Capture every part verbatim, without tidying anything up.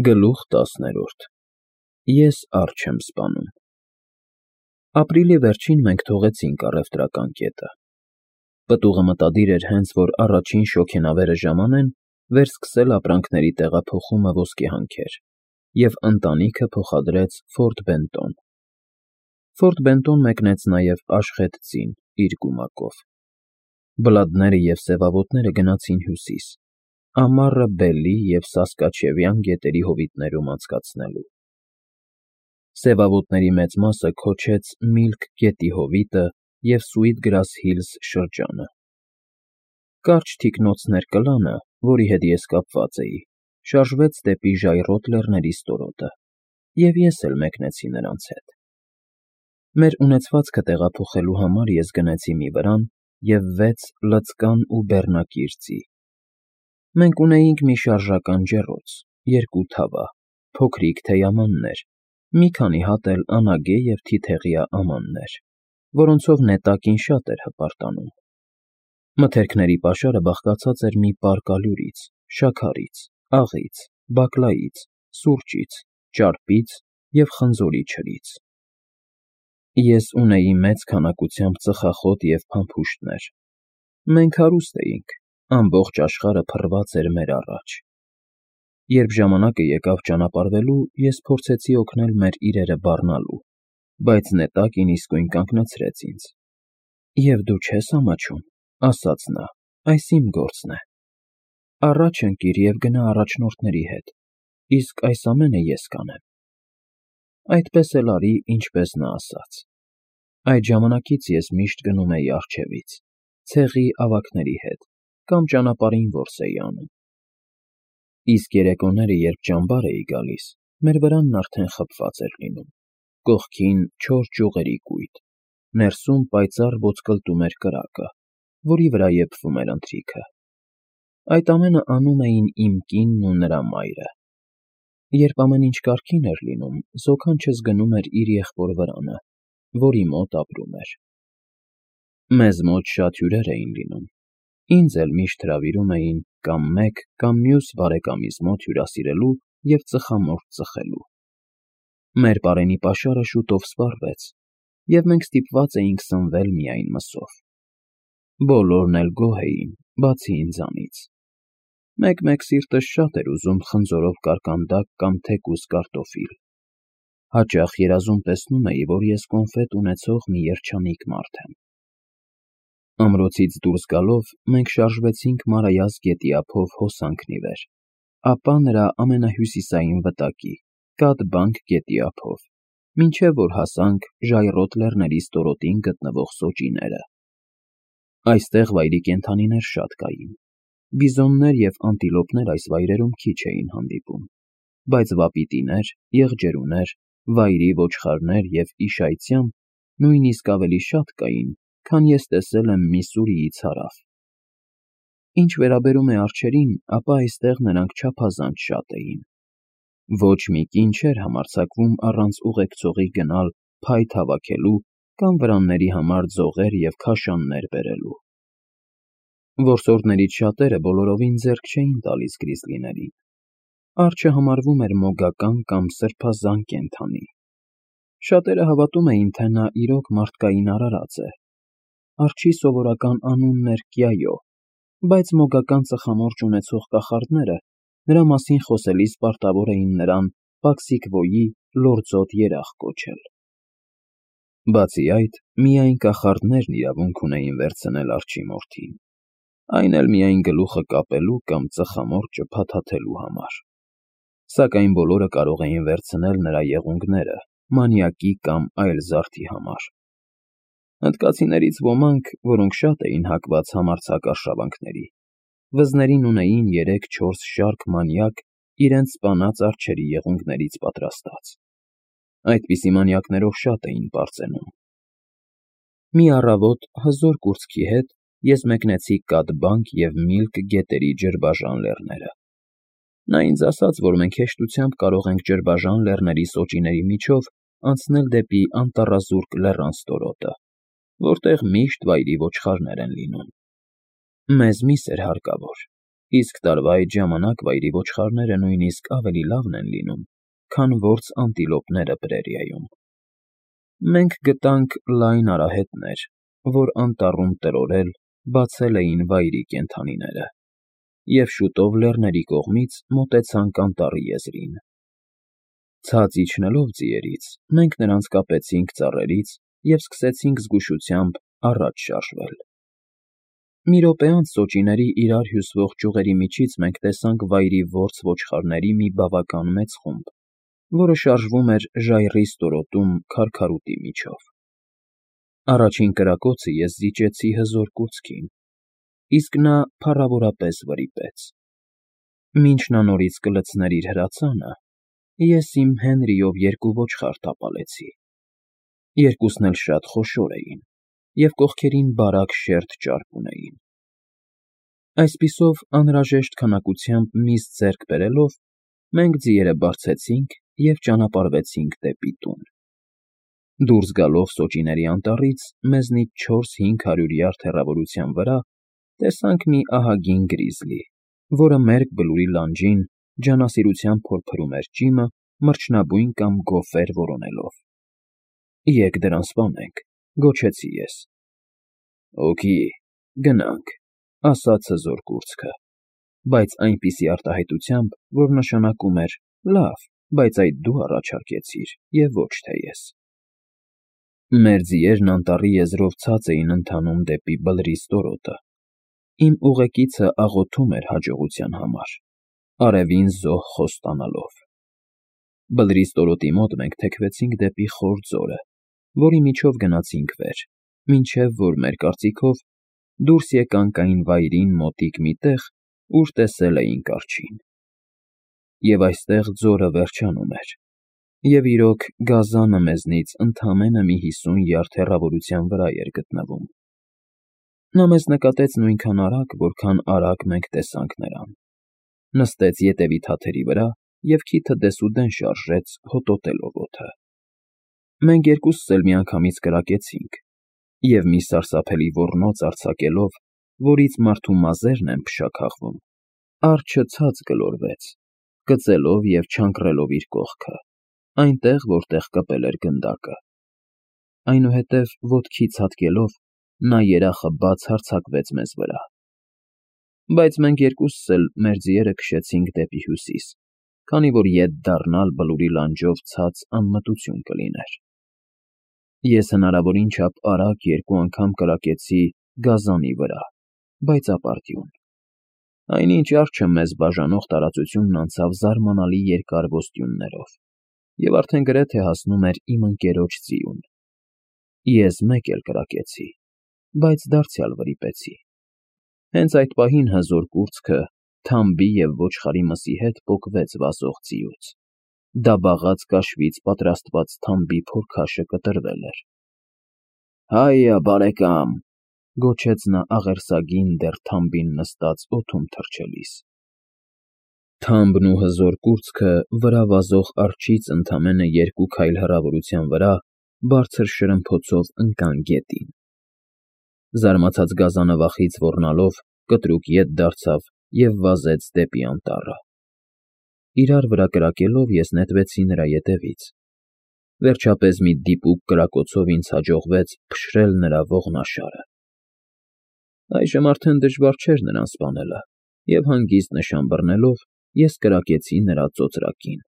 Գլուխ տասներորդ Ես առջ եմ սպանում։ Ապրիլի վերջին մենք թողեցինք առևտրական կետը։ Պտուղը մտադիր էր հենց որ առաջին շոգենավերը ժամանեն, վերսկսել ապրանքների տեղափոխումը ոսկեհանքեր, և ընտանիքը փոխադրեց Ֆորտ Բենտոն։ Ֆորտ Բենտոն մեկնեց նաև Աշխեթծին իր գումակով։ Բլադները և սևավոտները գնացին հյուսիս, ամառը Բելի և Սասկաչևյան գետերի հովիտներում անցկացնելու։ Սևավոտների մեծ մասը քոչեց Միլք գետի հովիտը և Սուիթգրաս Հիլզ շրջանը։ Կարճ թիկնոցներ Կլանը, որի հետ ես կապված էի, շարժվեց դեպի ժայռոտ լեռների ստորոտը, և ես էլ մեկնեցի նրանց հետ։ Մեր ունեցվածքը տեղափոխելու համար ես գնեցի մի վրան և վեց լծկան ու բեռնակիր ծի։ Մենք ունեինք մի շարժական ջեռոց, երկու թավա, փոքրիկ թեյամաններ, մի քանի հատ էլ անագե և թիթեղյա ամաններ, որոնցով նետակին շատ էր հպարտանում։ Մթերքների պաշարը բաղկացած էր մի պար կալյուրից, շաքարից, աղից, բակլայից, սուրճից, ճարպից և խնձորի չրից։ Ես ունեի մեծ քանակությամբ ծխախոտ և փամփուշտներ։ Մենք հարուստ էինք, ամբողջ աշխարհը փռված էր մեր առաջ։ Երբ ժամանակը եկավ ճանապարհվելու, ես փորձեցի օգնել մեր իրերը բառնալու, բայց նետակին իսկույն կանգնեցրեց ինձ։ ֊ Եվ դու չե՞ս ամաչում,֊ ասաց նա,֊ այս իմ գործն է։ Առաջ ընկիր և գնա առաջնորդների հետ, իսկ այս ամենը ես կանեմ։ Այդպես էլ արի, ինչպես նա ասաց։ Այդ ժամանակից ես միշտ գնում էի առջևից, ցեղի ավագների հետ, կամ ճանապարհին որս էի անում։ Իսկ երեկոները, երբ ճամբար էի գալիս, մեր վրանն արդեն խփված էր լինում, կողքին չոր ճյուղերի կույտ, ներսում պայծառ ոսկլտում էր կրակը, որի վրա եփվում էր ընթրիքը։ Այդ ամենը անում էին իմ կինն ու նրա մայրը։ Երբ ամեն ինչ կարգին էր լինում, զոքանչս գնում էր իր եղբոր վրանը, որի մոտ ապրում էր։ Մեզ մոտ շատ հյուրեր էին լինում, ինձ էլ միշտ հրավիրում էին կամ մեկ կամ մյուս բարեկամիս մոտ հյուրասիրելու և ծխամորճ ծխելու։ Մեր պարենի պաշարը շուտով սպառվեց, և մենք ստիպված էինք սնվել միայն մսով։ Բոլորն էլ գոհ էին, բացի ինձանից։ Մեկ֊մեկ սիրտս շատ էր ուզում խնձորով կարկանդակ կամ թեկուզ կարտոֆիլ։ Հաճախ երազում տեսնում էի, որ ես կոնֆետ ունեցող մի երջանիկ մարդ եմ։ Ամրոցից դուրս գալով մենք շարժվեցինք Մարայას գետի ափով հոսանքն ի վեր, ապա նրա ամենահյուսիսային վտակի՝ Կաթբանկ գետի ափով, մինչև որ հասանք ժայռոտ լեռների ստորոտին գտնվող սոճիները։ Այստեղ վայրի կենդանիներ շատ կային։ Բիզոններ և անտիլոպներ այս վայրերում քիչ էին հանդիպում, բայց վապիտիներ, եղջերուներ, վայրի ոչխարներ և իշայցյան նույնիսկ ավելի շատ կային, քան ես տեսել եմ Միսսուրիից հարավ։ Ինչ վերաբերում է արջերին, ապա այստեղ նրանք չափազանց շատ էին։ Ոչ մի կին չէր համարձակվում առանց ուղեկցողի գնալ փայտ հավաքելու կամ վրանների համար ձողեր և քաշաններ բերելու։ Որսորդներից շատերը բոլորովին ձեռք չէին տալիս գրիզլիներին։ Արջը համարվում էր մոգական կամ սրբազան կենդանի։ Շատերը հավատում էին, թե նա իրոք մարդկային արարած է։ Արջի սովորական անունն էր Կյայո, բայց մոգական ծխամորճ ունեցող կախարդները նրա մասին խոսելիս պարտավոր էին նրան Պաքսիկվոյի լորձոտ երախ կոչել։ Բացի այդ, միայն կախարդներն իրավունք ունեին վերցնել արջի մորթին, այն էլ միայն գլուխը կապելու կամ ծխամորճը փաթաթելու համար։ Սակայն բոլորը կարող էին վերցնել նրա եղունգները մանյակի կամ այլ զարդի համար։ Հնդկացիներից ոմանք, որոնք շատ էին հակված համարձակ արշավանքների, վզներին ունեին երեք֊չորս շարք մանյակ իրենց սպանած արջերի եղունգներից պատրաստած։ Այդպիսի մանյակներով շատ էին պարծենում։ Մի առավոտ հզոր կուրծքի հետ ես մեկնեցի Կաթբանկ և Միլք գետերի ջրբաժան լեռները։ Նա ինձ ասաց, որ մենք հեշտությամբ կարող ենք ջրբաժան լեռների սոճիների միջով անցնել դեպի անտառազուրկ լեռան ստորոտը, որտեղ միշտ վայրի ոչխարներ են լինում։ Մեզ միս էր հարկավոր։ իսկ տարվա այդ ժամանակ վայրի ոչխարները նույնիսկ ավելի լավն են լինում, քան որս անտիլոպները Պրերիայում։ Մենք գտանք լայն արահետներ, որ անտառում տրորել բացել էին վայրի կենդանիները, և շուտով լեռների կողմից մոտեցանք անտառի եզրին։ Ցած իջնելով ձիերից, մենք նրանց կապեցինք ծառերից և սկսեցինք զգուշությամբ առաջ շարժվել։ Մի րոպե անց սոճիների իրար հյուսվող ճյուղերի միջից մենք տեսանք վայրի որս ոչխարների մի բավական մեծ խումբ, որը շարժվում էր ժայռի ստորոտում քարքարուտի միջով։ Առաջին կրակոցը ես զիջեցի հզոր կուրծքին, իսկ նա փառավորապես վրիպեց։ Մինչ նա նորից կլցներ իր հրացանը, ես իմ Հենրիով երկու ոչխար տապալեցի։ Երկուսն էլ շատ խոշոր էին և կողքերին բարակ շերտ ճարպ ունեին։ Այսպիսով, անհրաժեշտ քանակությամբ միս ձեռք բերելով, մենք ձիերը բարձեցինք և ճանապարհվեցինք դեպի տուն։ Դուրս գալով սոճիների անտառից, մեզնից չորս֊հինգ հարյուր յարդ հեռավորության վրա տեսանք մի ահագին գրիզլի, որը մերկ Բլուրի լանջին ջանասիրությամբ փորփրում էր ճիմը մրջնաբույն կամ գոֆեր որոնելով։ ֊ Եկ դրան սպանենք,֊ գոչեցի ես։ ֊ Օքի, գնանք,֊ ասաց հզոր կուրծքը, բայց այնպիսի արտահայտությամբ, որ նշանակում էր. «Լավ, բայց այդ դու առաջարկեցիր, և ոչ թե ես»։ Մեր ձիերն անտառի եզրով ցած էին ընթանում դեպի Բլրի ստորոտը։ Իմ ուղեկիցը աղոթում էր հաջողության համար, արևին զոհ խոստանալով։ Բլրի ստորոտի մոտ մենք թեքվեցինք դեպի խոր ձորը, որի միջով գնացինք վեր, մինչև որ, մեր կարծիքով, դուրս եկանք այն վայրին մոտիկ մի տեղ, ուր տեսել էինք արջին։ Եվ այստեղ ձորը վերջանում էր, և, իրոք, գազանը մեզնից ընդամենը մի հիսուն յարդ հեռավորության վրա էր գտնվում։ Նա մեզ նկատեց նույնքան արագ, որքան արագ մենք տեսանք նրան, նստեց ետևի թաթերի վրա և քիթը դեսուդեն շարժեց, հոտոտելով օդը։ Մենք երկուսս էլ միանգամից կրակեցինք, և մի սարսափելի ոռնոց արձակելով, որից մարդու մազերն են փշաքաղվում, արջը ցած գլորվեց, կծելով և չանկռելով իր կողքը, այնտեղ, որտեղ կպել էր գնդակը։ Այնուհետև, ոտքից հատկելով, նա երախը բաց հարձակվեց մեզ վրա։ Բայց մենք երկուսս էլ մեր ձիերը քշեցինք դեպի հյուսիս, քանի որ ետ դառնալ Բլուրի լանջով ցած անմտություն կլիներ։ Ես հնարավորին չափ արագ երկու անգամ կրակեցի գազանի վրա, բայց ապարդյուն։ Այնինչ արջը մեզ բաժանող տարածությունն անցավ զարմանալի երկար ոստյուններով և արդեն գրեթե հասնում էր իմ ընկերոջ ձիուն։ Ես մեկ էլ կրակեցի, բայց դարձյալ վրիպեցի։ Հենց այդ պահին հզոր կուրծքը թամբի և ոչխարի մսի հետ պոկվեց վազող ձիուց։ Դաբաղած կաշվից պատրաստված թամբի փորքաշը կտրվել էր։ ֊ Հայա, բարեկամ,֊ գոչեց նա աղերսագին, դեռ թամբին նստած օդում թռչելիս։ Թամբն ու հզոր կուրծքը վրա վազող արջից ընդամենը երկու քայլ հեռավորության վրա բարձր շրմփոցով ընկան գետին։ Զարմացած գազանը վախից ոռնալով կտրուկ ետ դարձավ և վազեց դեպի անտառը։ Իրար վրա կրակելով ես նետվեցի նրա ետևից։ Վերջապես մի դիպուկ կրակոցով ինձ հաջողվեց փշրել նրա ողնաշարը։ Այժմ արդեն դժվար չէր նրան սպանելը, և հանգիստ նշան բռնելով, ես կրակեցի նրա ծոծրակին։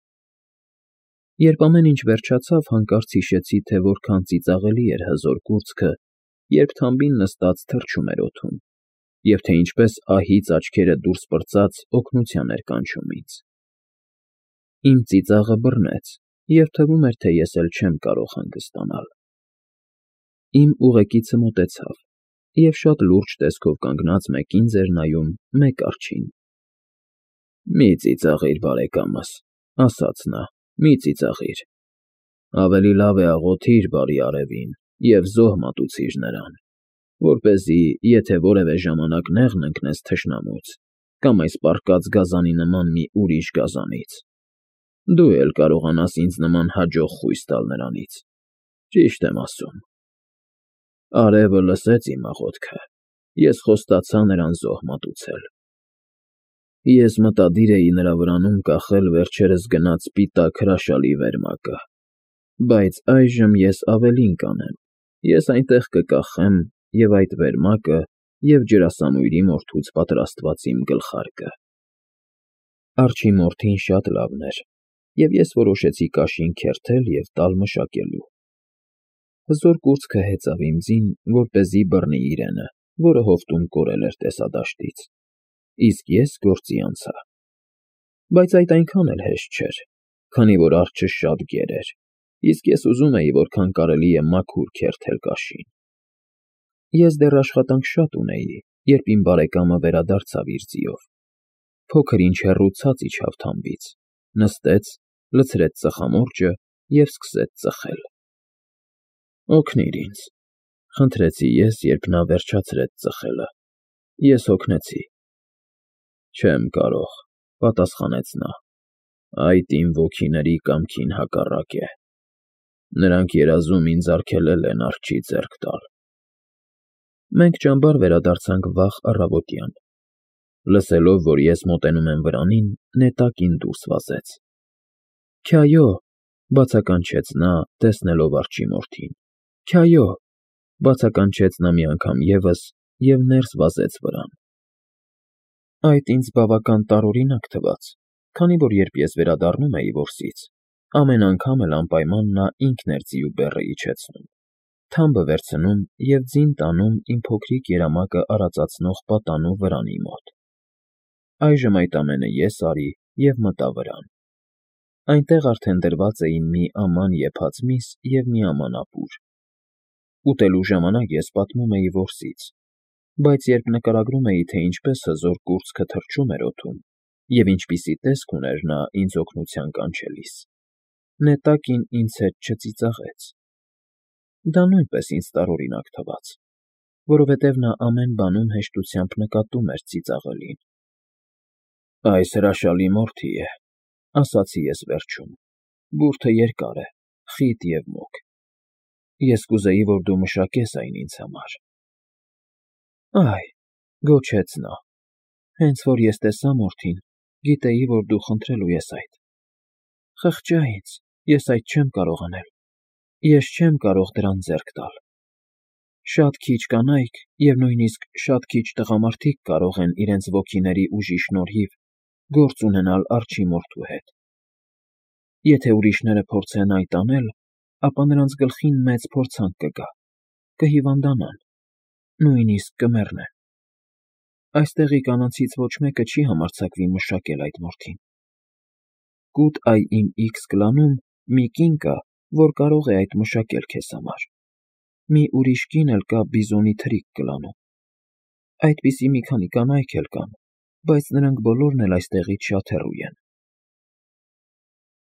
Երբ ամեն ինչ վերջացավ, հանկարծ հիշեցի, թե որքան ծիծաղելի էր հզոր կուրծքը, երբ թամբին նստած թռչում էր օդում, և թե ինչպես ահից աչքերը դուրս պրծած օգնության էր կանչում ինձ։ Իմ ծիծաղը բռնեց, և թվում էր, թե ես էլ չեմ կարող հանգստանալ։ Իմ ուղեկիցը մոտեցավ և շատ լուրջ տեսքով կանգնած մեկին ձեր նայում, մեկ արջին։ ֊ Մի ծիծաղիր, բարեկամս,֊ ասաց նա,֊ մի ծիծաղիր։ Ավելի լավ է աղոթիր բարի արևին և զոհ մատուցիր նրան, որպեսզի, եթե որևէ ժամանակ նեղն ընկնես թշնամուց կամ այս պառկած գազանի նման մի ուրիշ գազանից, դու էլ կարողանաս ինձ նման հաջող խույս տալ նրանից։ Ճիշտ եմ ասում։ Արևը լսեց իմ աղոթքը, ես խոստացա նրան զոհ մատուցել։ Ես մտադիր էի նրա վրանում կախել վերջերս գնած սպիտակ հրաշալի վերմակը, բայց այժմ ես ավելին կանեմ. ես այնտեղ կկախեմ և՛ այդ վերմակը, և՛ ջրասանույրի մորթուց պատրաստված իմ գլխարկը։ Արջի մորթին շատ լավն էր, և ես որոշեցի կաշին քերթել և տալ մշակելու։ Հզոր կուրծքը հեծավ իմ ձին, որպեսզի բռնի իրենը, որը հովտում կորել էր տեսադաշտից, իսկ ես գործի անցա։ Բայց այդ այնքան էլ հեշտ չէր, քանի որ արջը շատ գեր էր, իսկ ես ուզում էի որքան կարելի է մաքուր քերթել կաշին։ Ես դեռ աշխատանք շատ ունեի, երբ իմ բարեկամը վերադարձավ իր ձիով։ Փոքր-ինչ հեռու ցած իջավ թամբից, նստեց, լցրեց ծխամորճը և սկսեց ծխել։ ֊ Օգնիր ինձ, ֊ խնդրեցի ես, երբ նա վերջացրեց ծխելը։ Ես հոգնեցի։ ֊ Չեմ կարող, ֊ պատասխանեց նա, ֊ այդ իմ ոգիների կամքին հակառակ է։ Նրանք երազում ինձ արգելել են արջի ձեռք տալ։ Մենք ճամբար վերադարձանք վաղ առավոտյան։ Լսելով, որ ես մոտենում եմ վրանին, նետակին դուրս վազեց։ ֊ Քյայո, ֊ բացականչեց նա, տեսնելով արջի մորթին։ ֊ Քյայո, ֊ բացականչեց նա մի անգամ ևս և ներս վազեց վրան։ Այդ ինձ բավական տարօրինակ թվաց, քանի որ երբ ես վերադառնում էի որսից, ամեն անգամ էլ անպայման նա ինքն էր ձիու բեռը իջեցնում, թամբը վերցնում և ձին տանում իմ փոքրիկ երամակը արածացնող պատանու վրանի մոտ։ Այժմ այդ ամենը ես արի և մտա վրան։ Այնտեղ արդեն դրված էին մի աման եփած միս և մի աման ապուր։ Ուտելու ժամանակ ես պատմում էի որսից, բայց երբ նկարագրում էի, թե ինչպես հզոր կուրծքը թռչում էր օդում և ինչպիսի տեսք ուներ նա ինձ օգնության կանչելիս, նետակին ինձ հետ չծիծաղեց։ Դա նույնպես ինձ տարօրինակ թվաց, որովհետև նա ամեն բանում հեշտությամբ նկատում էր ծիծաղելին։ Այս հրաշալի մորթի է, ֊ ասացի ես վերջում, ֊ բուրդը երկար է, խիտ և մուգ։ Ես կուզեի, որ դու մշակես այն ինձ համար։ Այ, ֊ գոչեց նա, ֊ հենց որ ես տեսա մորթին, գիտեի, որ դու խնդրելու ես այդ։ Խղճա ինձ, ես այդ չեմ կարող անել, ես չեմ կարող դրան ձեռք տալ։ Շատ քիչ կանայք և նույնիսկ շատ քիչ տղամարդիկ կարող են իրենց ոգիների ուժի շնորհիվ գործ ունենալ արջի մորթու հետ։ Եթե ուրիշները փորձեն այդ անել, ապա նրանց գլխին մեծ փորձանք կգա, կհիվանդանան, նույնիսկ կմեռնեն։ Այստեղի կանանցից ոչ մեկը չի համարձակվի մշակել այդ մորթին։ Կուտ֊այ իմ իքս կլանում մի կին կա, որ կարող է այդ մշակել քեզ համար, մի ուրիշ կին էլ կա բիզոնի թրիկ կլանում։ Այդպիսի մի քանի կանայք էլ կան, բայց նրանք բոլորն էլ այստեղից շատ հեռու են։